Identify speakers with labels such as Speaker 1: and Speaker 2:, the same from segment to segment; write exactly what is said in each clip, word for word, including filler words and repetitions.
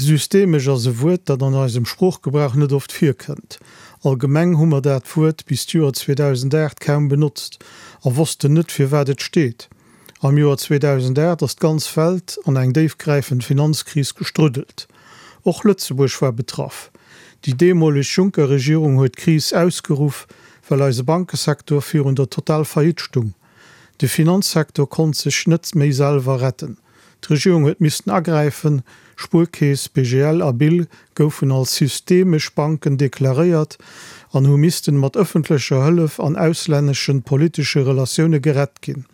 Speaker 1: Systemesch ass e Wuert, dat an eisem Sproochgebrauch net oft virkënnt. Allgemeng hu mer dat Wuert bis d'Joer zweedausendacht kaum benotzt a wossten net, fir wat et steet. Am Joer zweedausendacht ass d'ganz Welt an eng déifgräifend Finanzkris gestruddelt. Och Lëtzebuerg war betraff. Déi deemoleg Juncker-Regierung huet d'Kris ausgeruff, well eise Bankesecteur virun der Total-Faillite stung. De Finanzsecteur konnt sech net méi selwer retten. D'Regierung huet missten agräifen, Spuerkeess, B G L a B I L goufen als systemesch Banken deklaréiert an hu missten mat ëffentlecher Hëllef an auslännesche politesche Relatioune gerett ginn.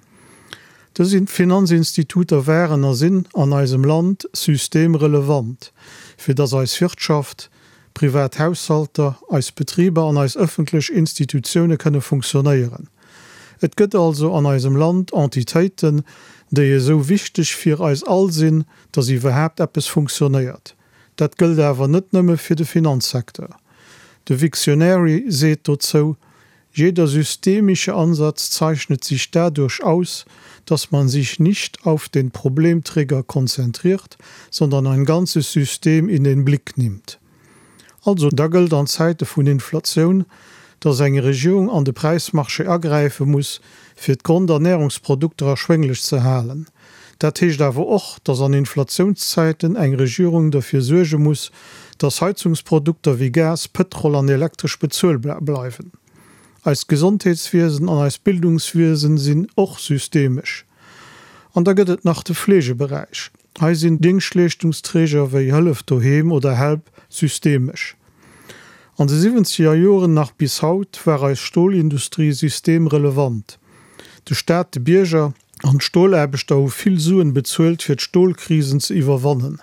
Speaker 1: Dës Finanzinstituter waren a sinn an eisem Land systemrelevant, fir dass eis Wirtschaft, privat Haushalter, eis Betriber an eis ëffentlech Institutioune kënne funktionéieren. Et gëtt also an eisem Land Entitéiten, déi esou wichteg fir eis all sinn, dass iwwerhaapt eppes funktionéiert. Dat gëllt awer net nëmme fir de Finanzsecteur. De Wiktionary seet dozou: Jeder systemische Ansatz zeichnet sich dadurch aus, dass man sich nicht auf den Problemträger konzentriert, sondern ein ganzes System in den Blick nimmt. Also da gëllt an Zäite vun Inflatioun, dass eng Regierung an de Präismarché agräife muss, fir d'Grondernärungsprodukter erschwénglech ze halen. Dat heescht awer och, dass an Inflatiounszäiten eng Regierung derfir suerge muss, dass Heizungsprodukter wéi Gas, Pëtrol an Elektresch bezuelbar bleiwen. Eist Gesondheetswiesen an eist Bildungswiesen sinn och systemesch. An da gëtt et nach de Fleegeberäich. Hei sinn Déngschtleeschtungsträger wéi Hëllef Doheem oder Help systemesch. An de siwwenzeger Joren nach bis haut war eis Stolindustrie systemrelevant. De Staat, de Bierger an d'Stolaarbechter hu vill Suen bezuelt fir d'Stolkrisen ze iwwerwannen.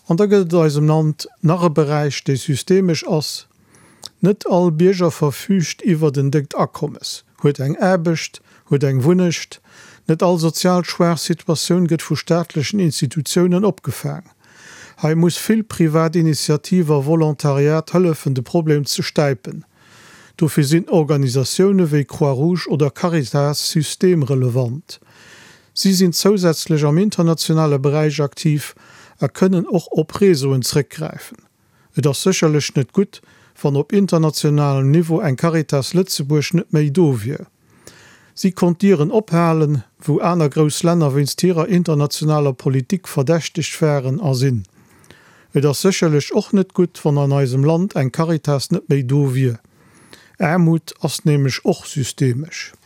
Speaker 1: An da gëtt et an eisem Land nach e Beräich, dee systemesch ass. Net all Bierger verfüügt iwwert en déckt Akommes, huet eng Aarbecht, huet eng Wunnecht. Net all sozial schwaach Situatioun gëtt vu staatlechen Institutiounen opgefaang. Hei muss vill privat Initiativ a Volontariat hëllefen de Problem ze stäipen. Dofir sinn Organisatioune wéi Croix-Rouge oder Caritas systemrelevant. Si sinn zousätzlech am internationale Beräich aktiv a kënnen och op Réseauen zréckgräifen. Et ass sécherlech net gutt, wann op internationalem Niveau eng Caritas Lëtzebuerg net méi do wier. Si konnt Dieren ophalen, wou aner grouss Länner wéinst hirer internationaler Politik verdächtegt waren a sinn. Et ass sécherlech och net gutt, wann an eisem Land eng Caritas net méi do wier. Aarmut ass nämlech och systemesch.